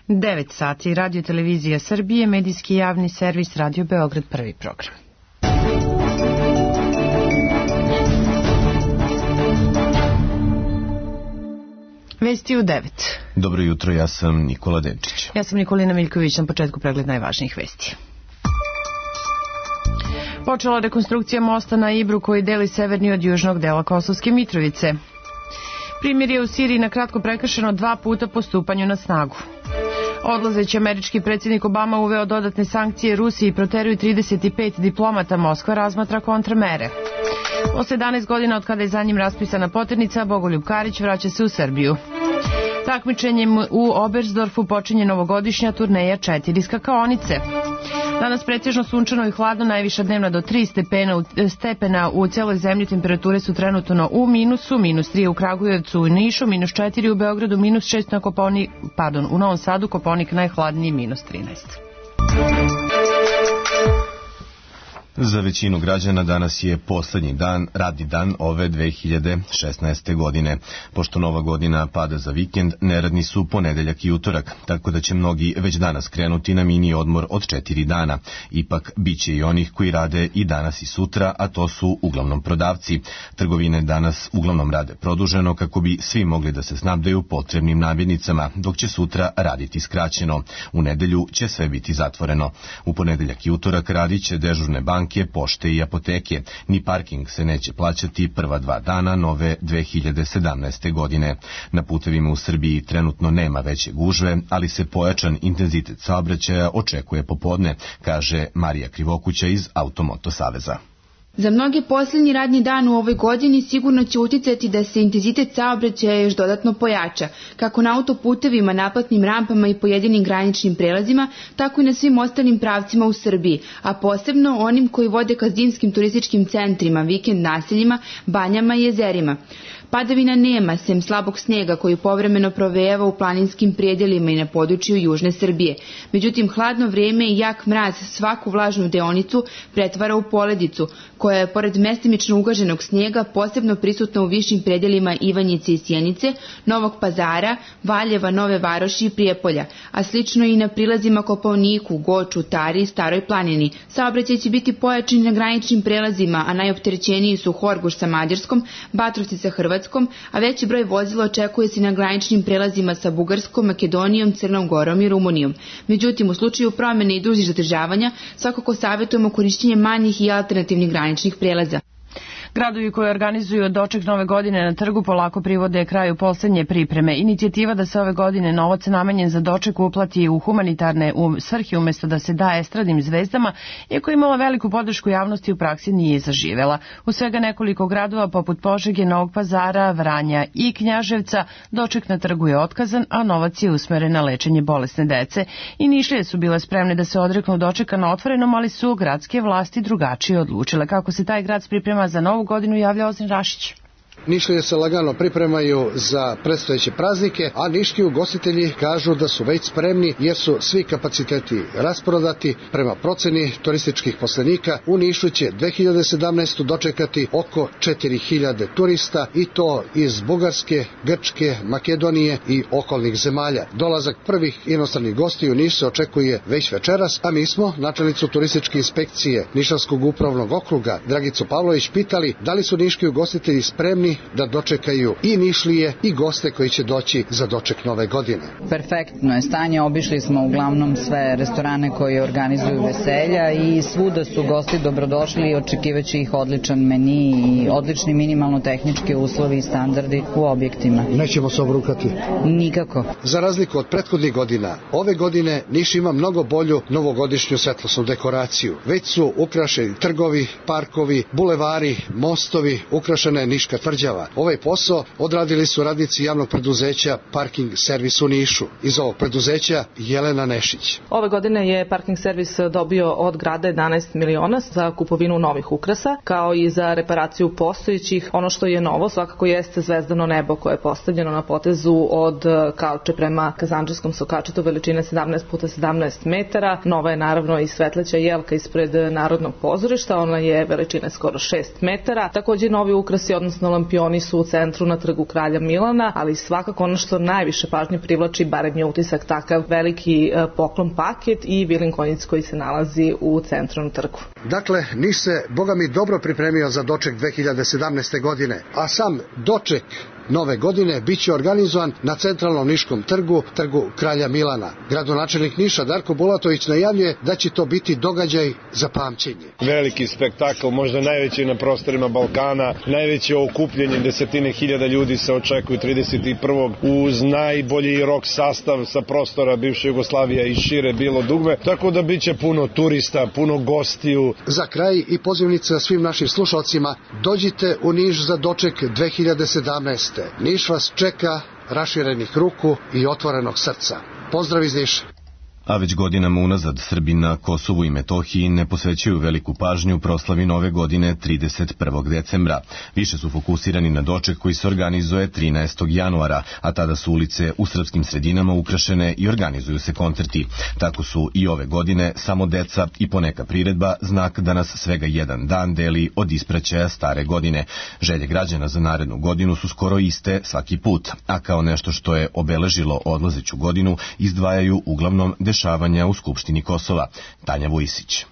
9 sati, Radio Televizija Srbije, medijski javni servis Radio Beograd, prvi program. Vesti u 9. Dobro jutro, ja sam Nikola Denčić. Ja sam Nikolina Miljković, na početku pregled najvažnijih vesti. Počela rekonstrukcija mosta na Ibru koji deli severni od južnog dela Kosovske Mitrovice. Primirje u Siriji na kratko prekršeno 2 puta po stupanju na snagu. Odlazeći američki predsjednik Obama uveo dodatne sankcije Rusiji i proteruju 35 diplomata. Moskva razmatra kontramere. Posle 11 godina od kada je za njim raspisana poternica, Bogoljub Karić vraća se u Srbiju. Takmičenjem u Oberstdorfu počinje novogodišnja turneja 4 skakaonice. Danas pretežno sunčano i hladno, najviša dnevna do 3 stepena u celoj zemlji, temperature su trenutno u minusu, -3 u Kragujevcu, u Nišu, -4 u Beogradu, -6 u Novom Sadu, Kopaonik najhladniji, -13. Za većinu građana danas je poslednji radni dan ove 2016. godine. Pošto nova godina pada za vikend, neradni su ponedeljak i utorak, tako da će mnogi već danas krenuti na mini odmor od 4 dana. Ipak, bit će i onih koji rade i danas i sutra, a to su uglavnom prodavci. Trgovine danas uglavnom rade produženo kako bi svi mogli da se snabdeju potrebnim namirnicama, dok će sutra raditi skraćeno. U nedelju će sve biti zatvoreno. U ponedeljak i utorak radit će dežurne banke, pošte i apoteke. Ni parking se neće plaćati prva 2 dana nove 2017. godine. Na putevima u Srbiji trenutno nema veće gužve, ali se pojačan intenzitet saobraćaja očekuje popodne, kaže Marija Krivokuća iz Automoto saveza. Za mnoge posljednji radni dan u ovoj godini sigurno će uticati da se intenzitet saobraćaja još dodatno pojača, kako na autoputevima, naplatnim rampama i pojedinim graničnim prelazima, tako i na svim ostalim pravcima u Srbiji, a posebno onim koji vode ka zimskim turističkim centrima, vikend naseljima, banjama i jezerima. Padavina nema, sem slabog snega koji povremeno provejava u planinskim predjelima i na području južne Srbije. Međutim, hladno vrijeme i jak mraz svaku vlažnu deonicu pretvara u poledicu, koja je, pored mestimično ugaženog snijega, posebno prisutna u višim predjelima Ivanjice i Sjenice, Novog Pazara, Valjeva, Nove Varoši i Prijepolja, a slično i na prilazima Kopaoniku, Goču, Tari i Staroj planini. Saobraćaj će biti pojačan na graničnim prelazima, a najopterećeniji su Horgoš sa Mađarskom, Batrovci sa Hrvatskom, a veći broj vozila očekuje se na graničnim prelazima sa Bugarskom, Makedonijom, Crnom Gorom i Rumunijom. Međutim, u slučaju promjene i dužih zadržavanja, svakako savjetujemo korišćenje manjih i alternativnih graničnih prelaza. Gradovi koji organizuju doček nove godine na trgu polako privode kraju poslednje pripreme. Inicijativa da se ove godine novac namenjen za doček uplati u humanitarne svrhe umjesto da se daje estradnim zvezdama, iako je imala veliku podršku javnosti, u praksi nije zaživela. U svega nekoliko gradova poput Požege, Novog Pazara, Vranja i Knjaževca doček na trgu je otkazan, a novac je usmeren na lečenje bolesne dece. I Nišlije su bile spremne da se odreknu dočeka na otvorenom, ali su gradske vlasti drugačije odlučile. Kako se taj grad priprema za novu godinu, javlja Ozren Rašić. Nišlije se lagano pripremaju za predstojeće praznike, a niški ugostitelji kažu da su već spremni jer su svi kapaciteti rasprodati. Prema proceni turističkih poslenika, u Nišu će 2017. dočekati oko 4000 turista, i to iz Bugarske, Grčke, Makedonije i okolnih zemalja. Dolazak prvih inostranih gostiju u Niš se očekuje već večeras, a mi smo načelnicu turističke inspekcije Nišavskog upravnog okruga Dragicu Pavlović pitali da li su niški ugostitelji spremni da dočekaju i Nišlije i goste koji će doći za doček nove godine. Perfektno je stanje, obišli smo uglavnom sve restorane koji organizuju veselja i svuda su gosti dobrodošli i očekivaće ih odličan meni i odlični minimalno tehnički uslovi i standardi u objektima. Nećemo se obrukati? Nikako. Za razliku od prethodnih godina, ove godine Niš ima mnogo bolju novogodišnju svetlosnu dekoraciju. Već su ukrašeni trgovi, parkovi, bulevari, mostovi, ukrašena je Niška tvrđava. Ovaj posao odradili su radnici javnog preduzeća Parking servis u Nišu. Iz ovog preduzeća Jelena Nešić. Ove godine je Parking servis dobio od grada 11 miliona za kupovinu novih ukrasa, kao i za reparaciju postojećih. Ono što je novo svakako jeste zvezdano nebo koje je postavljeno na potezu od Kauče prema Kazandžijskom sokačetu veličine 17x17 metara. Nova je naravno i svetleća jelka ispred Narodnog pozorišta, ona je veličine skoro 6 metara. Također novi ukrasi, odnosno lampiozi šampioni su u centru na trgu Kralja Milana, ali svakako ono što najviše pažnje privlači, barem je utisak takav, veliki poklon paket i Vilin konjic koji se nalazi u centru na trgu. Dakle, Niš se, boga mi, dobro pripremio za doček 2017. godine, a sam doček nove godine biće organizovan na centralnom niškom trgu Kralja Milana. Gradonačelnik Niša Darko Bulatović najavljuje da će to biti događaj za pamćenje. Veliki spektakl, možda najveći na prostorima Balkana, najveće okupljanje, desetine hiljada ljudi se očekuju 31. uz najbolji rock sastav sa prostora bivše Jugoslavije i šire bilo dugme, tako da biće puno turista, puno gostiju. Za kraj i pozivnica svim našim slušalcima, dođite u Niš za doček 2017. Niš vas čeka raširenih ruku i otvorenog srca. Pozdrav iz Niša. A već godinama unazad Srbi na Kosovu i Metohiji ne posvećuju veliku pažnju proslavi nove godine 31. decembra. Više su fokusirani na doček koji se organizuje 13. januara, a tada su ulice u srpskim sredinama ukrašene i organizuju se koncerti. Tako su i ove godine samo deca i poneka priredba znak da nas svega jedan dan deli od ispraćaja stare godine. Želje građana za narednu godinu su skoro iste svaki put, a kao nešto što je obeležilo odlazeću godinu izdvajaju uglavnom dešavanja u Skupštini Kosova. Tanja Vujisić.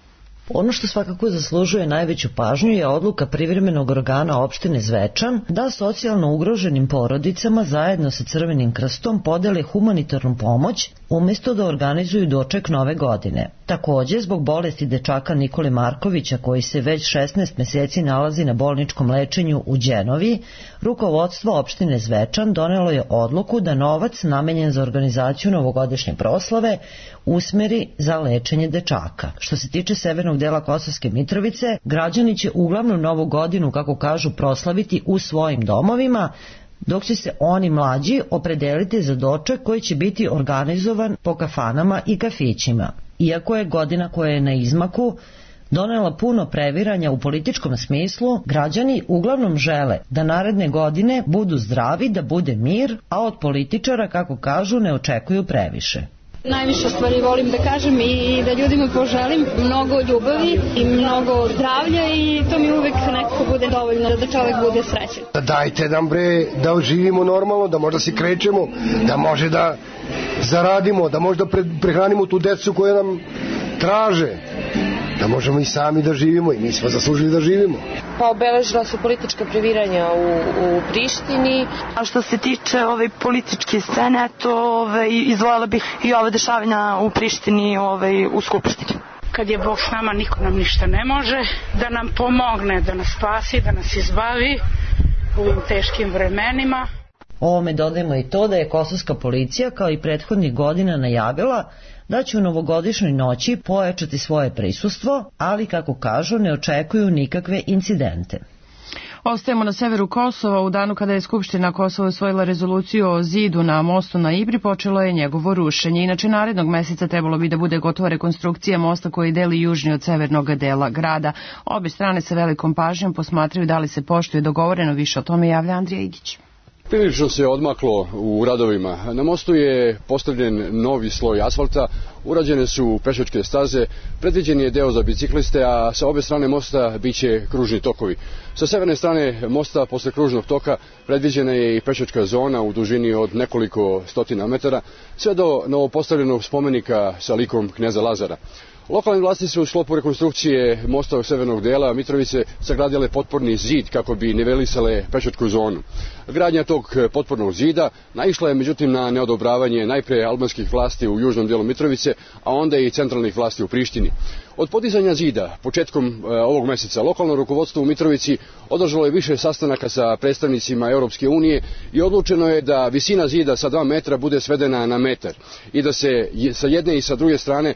Ono što svakako zaslužuje najveću pažnju je odluka privremenog organa opštine Zvečan da socijalno ugroženim porodicama zajedno sa Crvenim krstom podele humanitarnu pomoć umjesto da organizuju doček nove godine. Takođe, zbog bolesti dečaka Nikole Markovića koji se već 16 meseci nalazi na bolničkom lečenju u Đenovi, rukovodstvo opštine Zvečan donelo je odluku da novac namenjen za organizaciju novogodišnje proslave usmeri za lečenje dečaka. Što se tiče severnog dela Kosovske Mitrovice, građani će uglavnom novu godinu, kako kažu, proslaviti u svojim domovima, dok će se oni mlađi opredeliti za doček koji će biti organizovan po kafanama i kafićima. Iako je godina koja je na izmaku donela puno previranja u političkom smislu, građani uglavnom žele da naredne godine budu zdravi, da bude mir, a od političara, kako kažu, ne očekuju previše. Najviše stvari volim da kažem i da ljudima poželim mnogo ljubavi i mnogo zdravlja i to mi uvek nekako bude dovoljno da čovjek bude srećan. Dajte nam da živimo normalno, da možda se krećemo, da može da zaradimo, da možda prehranimo tu decu koje nam traže, da možemo i sami da živimo i mi smo zaslužili da živimo. Pa obeležila su politička previranja u Prištini. A što se tiče ove političke scene, to izdvojila bih i ove dešavanja u Prištini u Skupštini. Kad je Bog s nama, niko nam ništa ne može, da nam pomogne, da nas spasi, da nas izbavi u ovim teškim vremenima. Ovome dodajemo i to da je kosovska policija kao i prethodnih godina najavila da će u novogodišnjoj noći pojačati svoje prisustvo, ali kako kažu ne očekuju nikakve incidente. Ostajemo na severu Kosova. U danu kada je Skupština Kosova usvojila rezoluciju o zidu na mostu na Ibri, počelo je njegovo rušenje. Inače, narednog meseca trebalo bi da bude gotova rekonstrukcija mosta koji deli južni od severnog dela grada. Obe strane sa velikom pažnjom posmatraju da li se poštuje dogovoreno. Više o tome javlja Andrija Igić. Prilično se odmaklo u radovima. Na mostu je postavljen novi sloj asfalta, urađene su pešačke staze, predviđen je deo za bicikliste, a sa obe strane mosta biće kružni tokovi. Sa severne strane mosta, posle kružnog toka, predviđena je i pešačka zona u dužini od nekoliko stotina metara, sve do novopostavljenog spomenika sa likom kneza Lazara. Lokalne vlasti su u sklopu rekonstrukcije mosta u severnog dela Mitrovice sagradile potporni zid kako bi nivelisale pešačku zonu. Gradnja tog potpornog zida naišla je međutim na neodobravanje najpre albanskih vlasti u južnom delu Mitrovice, a onda i centralnih vlasti u Prištini. Od podizanja zida početkom ovog meseca lokalno rukovodstvo u Mitrovici održalo je više sastanaka sa predstavnicima Europske unije i odlučeno je da visina zida sa 2 metra bude svedena na metar i da se sa jedne i sa druge strane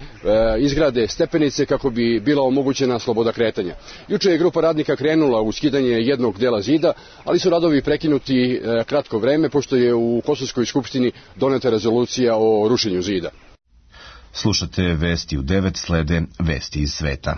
izgrade stepenice kako bi bila omogućena sloboda kretanja. Juče je grupa radnika krenula u skidanje jednog dela zida, ali su radovi prekinuti kratko vreme pošto je u Kosovskoj skupštini doneta rezolucija o rušenju zida. Slušate vesti u 9, slede vesti iz sveta.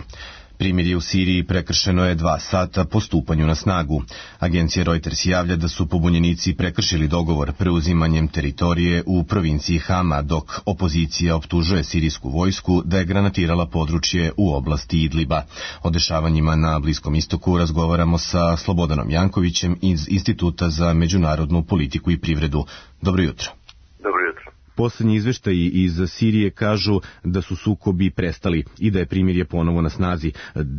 Primirje u Siriji prekršeno je 2 sata po stupanju na snagu. Agencija Reuters javlja da su pobunjenici prekršili dogovor preuzimanjem teritorije u provinciji Hama, dok opozicija optužuje sirijsku vojsku da je granatirala područje u oblasti Idliba. O dešavanjima na Bliskom istoku razgovaramo sa Slobodanom Jankovićem iz Instituta za međunarodnu politiku i privredu. Dobro jutro. Dobro jutro. Poslednji izveštaji iz Sirije kažu da su sukobi prestali i da je primirje ponovo na snazi.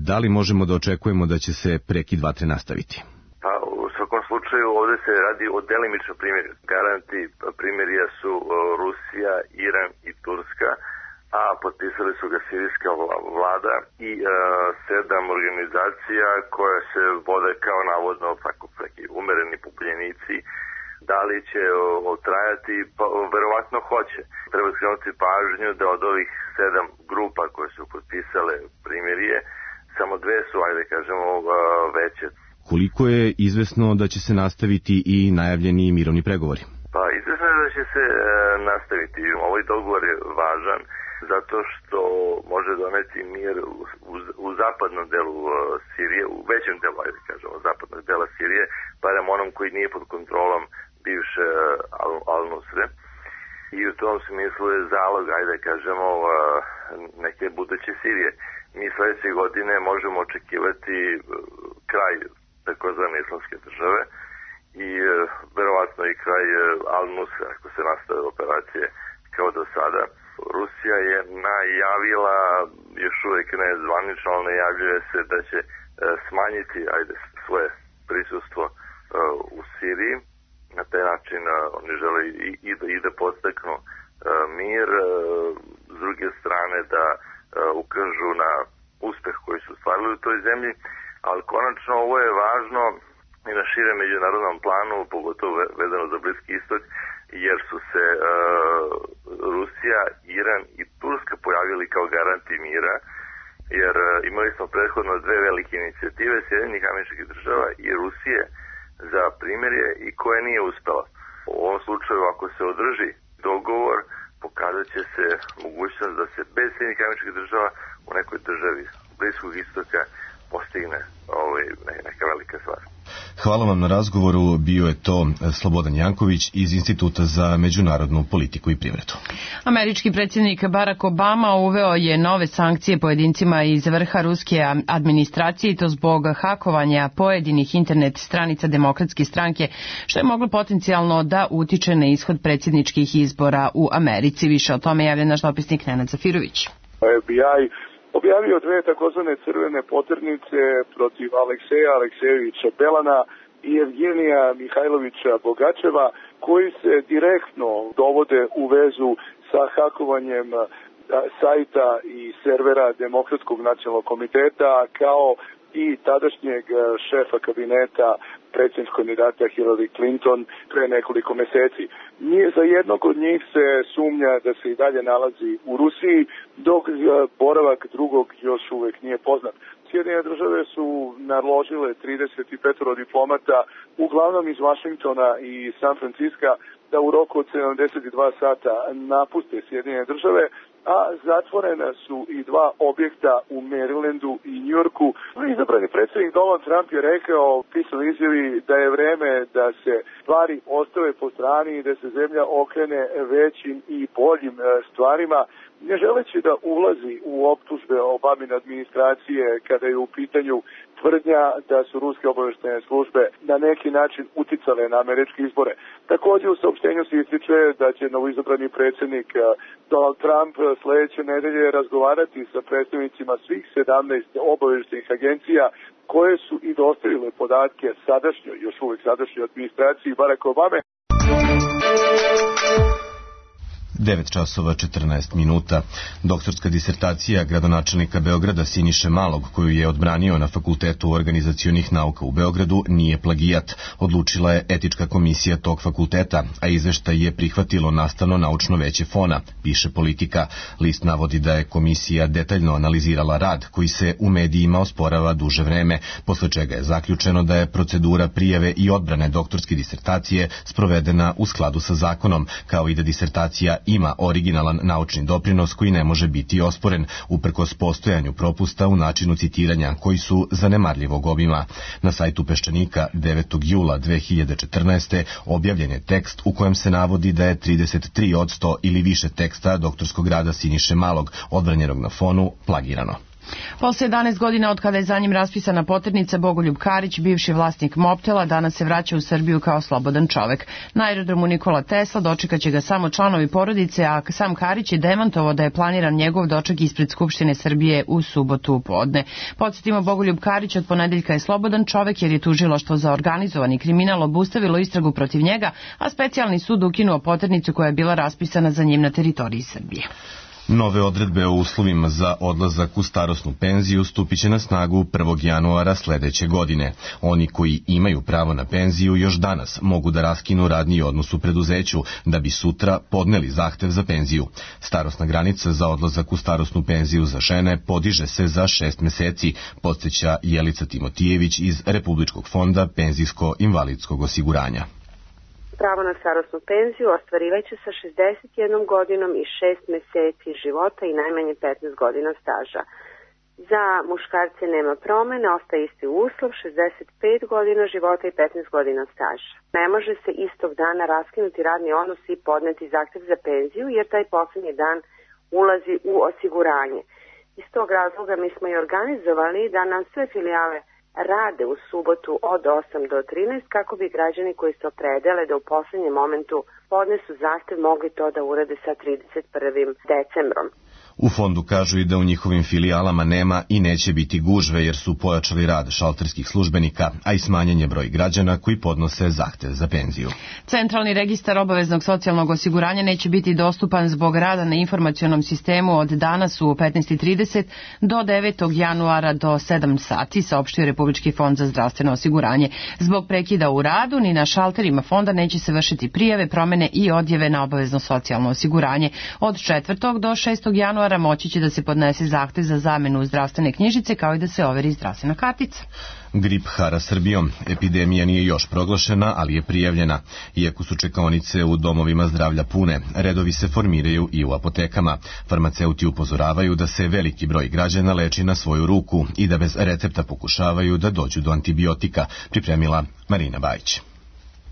Da li možemo da očekujemo da će se prekid vatre nastaviti? Pa, u svakom slučaju ovdje se radi o delimičnom primirju. Garanti primirja su Rusija, Iran i Turska, a potpisali su ga sirijska vlada i 7 organizacija koje se vode kao navodno tako neki umereni pobunjenici. Da li će otrajati? Pa, verovatno hoće. Treba skrenuti pažnju da od ovih 7 grupa koje su potpisale primirje, samo 2 su, ajde kažemo, veće. Koliko je izvesno da će se nastaviti i najavljeni mirovni pregovori? Pa, izvesno je da će se nastaviti. Ovaj dogovor je važan zato što može doneti mir u zapadnom delu Sirije, u većem delu, ajde kažemo, zapadnog dela Sirije, barem onom koji nije pod kontrolom bivše Al-Nusre. I u tom smislu je zalog, ajde kažemo, neke buduće Sirije. Mi sledeće godine možemo očekivati kraj takozvane islamske države i verovatno i kraj Al-Nusre, ako se nastave operacije kao do sada. Rusija je najavila, još uvijek ne zvanično, ali najavljuje se da će smanjiti svoje prisustvo u Siriji. Na taj način oni žele i da podstaknu mir, s druge strane da ukažu na uspeh koji su stvarili u toj zemlji, ali konačno ovo je važno i na širem međunarodnom planu, pogotovo vezano za Bliski istok, jer su se Rusija, Iran i Turska pojavili kao garanti mira, jer imali smo prethodno 2 velike inicijative Sjedinjenih Američkih Država i Rusije za primirje i koje nije uspela. U ovom slučaju, ako se održi dogovor, pokazat će se mogućnost da se bez Sjedinjenih Američkih Država u nekoj državi Bliskog istoka postigne neka velika stvar. Hvala vam na razgovoru. Bio je to Slobodan Janković iz Instituta za međunarodnu politiku i privredu. Američki predsjednik Barack Obama uveo je nove sankcije pojedincima iz vrha ruske administracije i to zbog hakovanja pojedinih internet stranica Demokratske stranke, što je moglo potencijalno da utiče na ishod predsjedničkih izbora u Americi. Više o tome javlja naš dopisnik Nenad Zafirović. FBI objavio 2 takozvane crvene poternice protiv Alekseja Aleksejevića Belana i Evgenija Mihajlovića Bogačeva, koji se direktno dovode u vezu sa hakovanjem sajta i servera Demokratskog nacionalnog komiteta, kao i tadašnjeg šefa kabineta predsjedničkog kandidata Hillary Clinton pre nekoliko meseci. Za jednog od njih se sumnja da se i dalje nalazi u Rusiji, dok boravak drugog još uvek nije poznat. Sjedinjene države su naložile 35 diplomata, uglavnom iz Vašingtona i San Franciska, da u roku od 72 sata napuste Sjedinjene države, a zatvorena su i 2 objekta u Marylandu i Njujorku. Izabrani predsjednik Donald Trump je rekao u pisanoj izjavi da je vreme da se stvari ostave po strani i da se zemlja okrene većim i boljim stvarima, ne želeći da ulazi u optužbe Obamine administracije kada je u pitanju tvrdnja da su ruske obavještajne službe na neki način uticale na američke izbore. Također u saopštenju se ističe da će novoizabrani predsjednik Donald Trump sledeće nedelje razgovarati sa predstavnicima svih 17 obavještajnih agencija koje su i dostavile podatke još uvijek sadašnjoj administraciji Baracka Obame. 9 časova 14 minuta. Doktorska disertacija gradonačelnika Beograda Siniše Malog, koju je odbranio na Fakultetu organizacionih nauka u Beogradu, nije plagijat. Odlučila je etička komisija tog fakulteta, a izveštaj je prihvatilo Nastavno-naučno veće FON-a, piše Politika. List navodi da je komisija detaljno analizirala rad koji se u medijima osporava duže vreme, posle čega je zaključeno da je procedura prijave i odbrane doktorske disertacije sprovedena u skladu sa zakonom, kao i da disertacija ima originalan naučni doprinos koji ne može biti osporen, uprkos postojanju propusta u načinu citiranja, koji su zanemarljivog obima. Na sajtu Peščanika 9. jula 2014. objavljen je tekst u kojem se navodi da je 33% ili više teksta doktorskog rada Siniše Malog, odbranjenog na Fonu, plagirano. Posle 11 godina od kada je za njim raspisana poternica, Bogoljub Karić, bivši vlasnik Mobtela, danas se vraća u Srbiju kao slobodan čovek. Na aerodromu Nikola Tesla dočekaće ga samo članovi porodice, a sam Karić je demantovao da je planiran njegov doček ispred Skupštine Srbije u subotu u podne. Podsjetimo, Bogoljub Karić od ponedeljka je slobodan čovek jer je tužilaštvo za organizovani kriminal obustavilo istragu protiv njega, a specijalni sud ukinuo poternicu koja je bila raspisana za njim na teritoriji Srbije. Nove odredbe o uslovima za odlazak u starosnu penziju stupiće na snagu 1. januara sledeće godine. Oni koji imaju pravo na penziju još danas mogu da raskinu radni odnos u preduzeću, da bi sutra podneli zahtev za penziju. Starosna granica za odlazak u starosnu penziju za žene podiže se za 6 meseci, podsjeća Jelica Timotijević iz Republičkog fonda penzijsko-invalidskog osiguranja. Pravo na starosnu penziju ostvarivaće sa 61 godinom i 6 meseci života i najmanje 15 godina staža. Za muškarce nema promene, ostaje isti uslov, 65 godina života i 15 godina staža. Ne može se istog dana raskinuti radni odnos i podneti zahtev za penziju, jer taj poslednji dan ulazi u osiguranje. Iz tog razloga mi smo i organizovali da nam sve filijale rade u subotu od 8 do 13 kako bi građani koji se opredele da u poslednjem momentu podnesu zahtev mogli to da urade sa 31. decembrom. U fondu kažu i da u njihovim filijalama nema i neće biti gužve jer su pojačali rad šalterskih službenika, a i smanjen je broj građana koji podnose zahtev za penziju. Centralni registar obaveznog socijalnog osiguranja neće biti dostupan zbog rada na informacionom sistemu od danas u 15:30 do 9. januara do 7 sati, saopštio Republički fond za zdravstveno osiguranje. Zbog prekida u radu ni na šalterima fonda neće se vršiti prijave, promene i odjave na obavezno socijalno osiguranje. Od 4. do 6. januara moći će da se podnese zahtev za zamenu zdravstvene knjižice kao i da se overi zdravstvena kartica. Grip hara Srbijom. Epidemija nije još proglašena, ali je prijavljena. Iako su čekaonice u domovima zdravlja pune, redovi se formiraju i u apotekama. Farmaceuti upozoravaju da se veliki broj građana leči na svoju ruku i da bez recepta pokušavaju da dođu do antibiotika, pripremila Marina Bajić.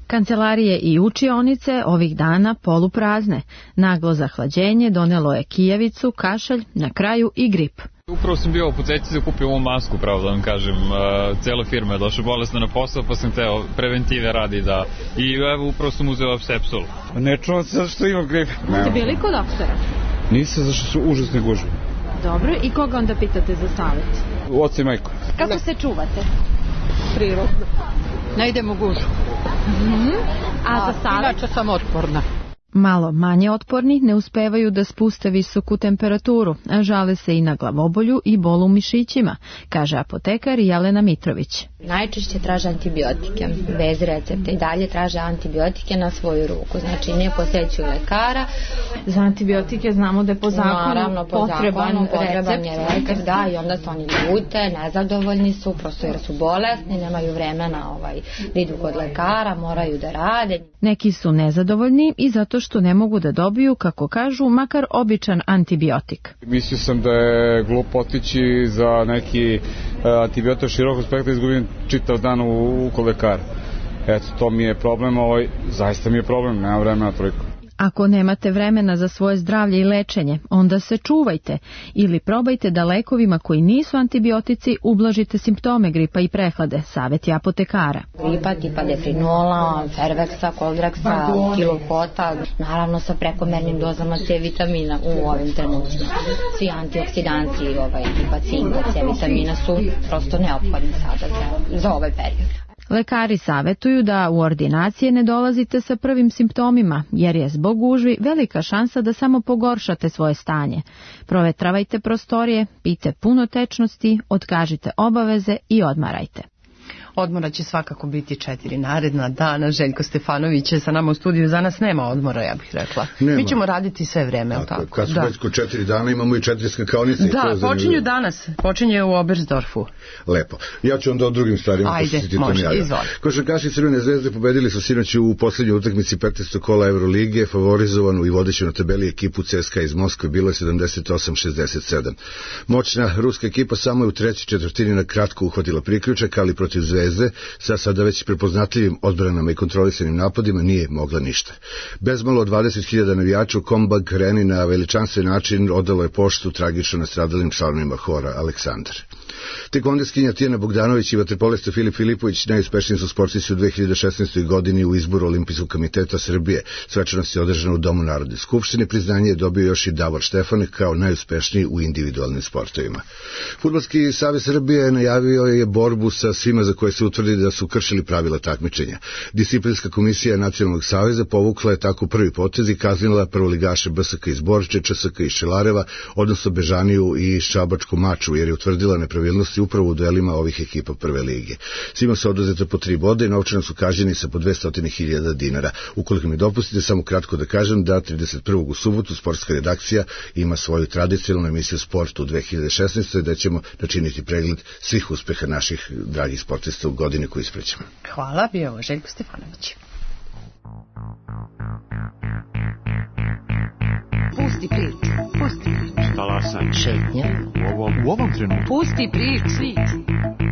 Kancelarije i učionice ovih dana poluprazne. Naglo zahlađenje donelo je kijavicu, kašalj, na kraju i grip. Upravo sam bio u apoteci da kupim ovu masku, pravo da vam kažem. Cela firma je došla bolesna na posao, pa sam teo preventive radi da... I evo, upravo sam uzeo Sepsul. Ne čuvam se zato što imam grip. Ste bili kod doktora? Nisam, zašto su užasne gužve. Dobro, i koga onda pitate za savjet? Oca i majku. Kako se čuvate? Prirodno. Ne idem u gužu. A za savjet? Inače sam otporna. Malo manje otporni ne uspevaju da spuste visoku temperaturu, a žale se i na glavobolju i bolu u mišićima, kaže apotekar Jelena Mitrović. Najčešće traže antibiotike, bez recepta i dalje traže antibiotike na svoju ruku, znači ne posećuju lekara. Za antibiotike znamo da je po zakonu naravno, potreban je recept, da, i onda se oni ljute, nezadovoljni su, prosto jer su bolesni, nemaju vremena da idu kod lekara, moraju da rade. Neki su nezadovoljni i zato što ne mogu da dobiju, kako kažu, makar običan antibiotik. Mislio sam da je glupo otići za neki antibiotik širokog spektra, izgubim čitav dan kod lekara. Eto, to mi je problem, zaista mi je problem, nema vremena toliko. Ako nemate vremena za svoje zdravlje i lečenje, onda se čuvajte ili probajte da lekovima koji nisu antibiotici ublažite simptome gripa i prehlade, savjet je apotekara. Gripa tipa Defrinola, Ferveksa, Koldraksa, Kilokota, naravno sa prekomernim dozama C vitamina u ovim trenucima. Svi antioksidanci tipa cinka, C vitamina su prosto neophodni sada za ovaj period. Lekari savjetuju da u ordinacije ne dolazite sa prvim simptomima, jer je zbog gužvi velika šansa da samo pogoršate svoje stanje. Provetravajte prostorije, pijte puno tečnosti, otkažite obaveze i odmarajte. Odmora će svakako biti 4 naredna dana. Željko Stefanović je sa nama u studiju. Za nas nema odmora, ja bih rekla. Nema. Mi ćemo raditi sve vreme. Tako. Kad smo već kod 4 dana, imamo i 4 skakaonice. Da, počinju danas. Počinje u Oberstdorfu. Lepo. Ja ću onda o drugim stvarima. Ajde, može, izvoli. Košarkaši Crvene zvezde pobedili su sinoć u poslednjoj utakmici 15. kola Euroligije, favorizovanu i vodeću na tabeli ekipu CSKA iz Moskve, bilo je 78-67. Moćna ruska ekipa samo je u trećoj četvrtini na kratko uhvatila priključak, ali protiv Zvezde sa sada već prepoznatljivim odbranama i kontrolisanim napadima nije mogla ništa. Bezmalo 20.000 navijača u Kombag Areni na veličanstven način odalo je poštu tragično nastradalim članovima hora Aleksandar. Tekvondeskinja Tijana Bogdanović i vaterpolista Filip Filipović najuspešniji su sportisti u 2016. godini u izboru Olimpijskog komiteta Srbije. Svečanost je održana u Domu Narodne skupštine. Priznanje je dobio još i Davor Štefanek kao najuspešniji u individualnim sportovima. Fudbalski savez Srbije najavio je borbu sa svima za koje se utvrdi da su kršili pravila takmičenja. Disciplinska komisija Nacionalnog saveza povukla je tako prvi potez i kaznila prvoligaše BSK iz Borče, ČSK iz Šelareva, odnosno Bežaniju i Šabačku Maču, jer je utvrdila nepravilnosti upravo u duelima ovih ekipa prve lige. Svima su oduzete po 3 boda i novčano su kažnjeni sa po 200.000 dinara. Ukoliko mi dopustite, samo kratko da kažem da 31. u subotu sportska redakcija ima svoju tradicionalnu emisiju Sport u 2016. da ćemo načiniti pregled svih uspeha naših dragih sportista u godini koju isprećemo. Hvala, bio ovo Željko Stefanović. Pusti priču, pusti priču. Talasaj. Šetnja. U ovom trenutku. Pusti priču.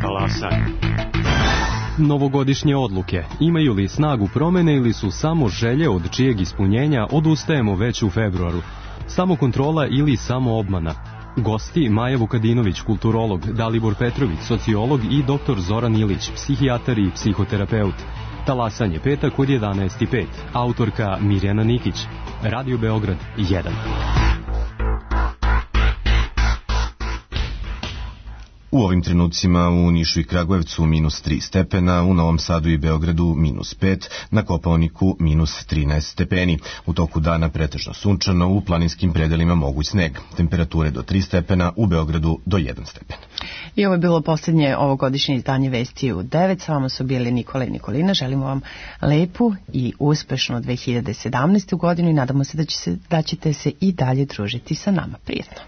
Talasaj. Novogodišnje odluke. Imaju li snagu promene ili su samo želje od čijeg ispunjenja odustajemo već u februaru? Samo kontrola ili samo obmana? Gosti Maja Vukadinović, kulturolog, Dalibor Petrović, sociolog i dr. Zoran Ilić, psihijatar i psihoterapeut. Talasanje petak od 11:05. Autorka Mirjana Nikić. Radio Beograd 1. U ovim trenucima u Nišu i Kragujevcu -3 stepena, u Novom Sadu i Beogradu -5, na Kopaoniku -13 stepeni. U toku dana pretežno sunčano, u planinskim predelima moguć sneg. Temperature do 3 stepena, u Beogradu do 1 stepen. I ovo je bilo posljednje ovogodišnje izdanje Vesti u 9. S vama su bili Nikola i Nikolina. Želimo vam lepu i uspešnu 2017. godinu i nadamo se da ćete se i dalje družiti sa nama. Prijetno.